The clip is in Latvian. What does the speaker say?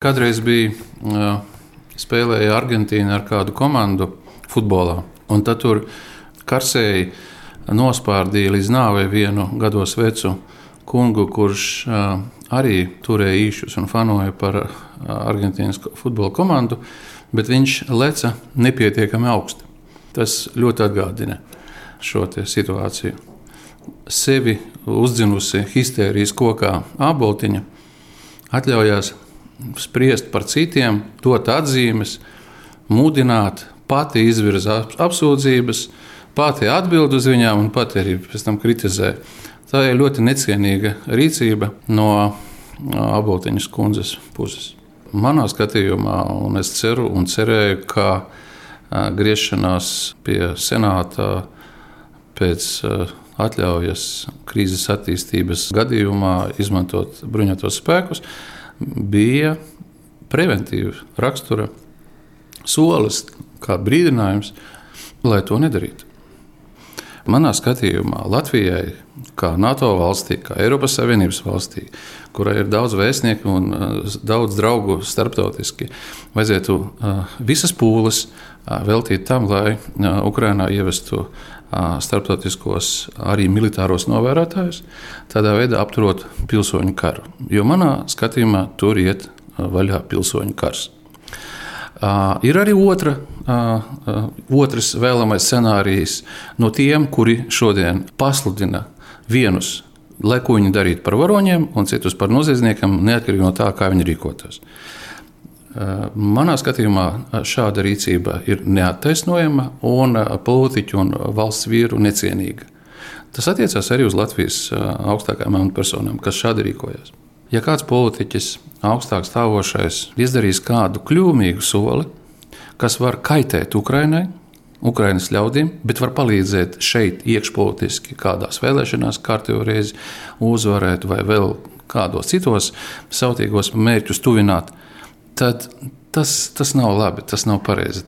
Kādreiz bija spēlēja Argentīna ar kādu komandu futbolā, un tad tur karsēji nospārdīja līdz nāvei vienu gados vecu kungu, kurš arī turēja īšus un fanoja par Argentīnas futbola komandu, bet viņš leca nepietiekami augsti. Tas ļoti atgādina šo situāciju. Sevi uzdzinusi histērijas kokā āboltiņa atļaujās spriest par citiem, dot atzīmes, mudināt, pati izvirza apsūdzības, pati atbild uz viņām un pati arī pēc tam kritizē. Tā ir ļoti necienīga rīcība no Āboltiņas kundzes puses. Manā skatījumā, un es ceru un cerēju, ka griešanās pie senāta pēc atļaujas krīzes attīstības gadījumā izmantot bruņotos spēkus bija preventīva rakstura solis, kā brīdinājums, lai to nedarītu. Manā skatījumā Latvijai, kā NATO valstī, kā Eiropas Savienības valstī, kurai ir daudz vēstnieku un daudz draugu starptautiski, vajadzētu visas pūles veltīt tam, lai Ukrainā ievestu starptautiskos arī militāros novērotājus, tādā veidā apturot pilsoņu karu. Jo manā skatījumā tur iet vaļā pilsoņu kars. Ir arī otrs vēlamais scenārijs no tiem, kuri šodien pasludina vienus, lai ko viņi darītu par varoņiem, un citus par noziedzniekiem, neatkarīgi no tā, kā viņi rīkotos. Manā skatījumā šāda rīcība ir neattaisnojama un politiķu un valsts vīru necienīga. Tas attiecās arī uz Latvijas augstākajām amatpersonām, kas šādi rīkojas. Ja kāds politiķis, augstāk stāvošais, izdarīs kādu kļūmīgu soli, kas var kaitēt Ukrainai, Ukrainas ļaudīm, bet var palīdzēt šeit iekšpolitiski kādās vēlēšanās kārtējo reizi uzvarēt vai vēl kādos citos sautīgos mērķus tuvināt, tad tas nav labi, tas nav pareizi.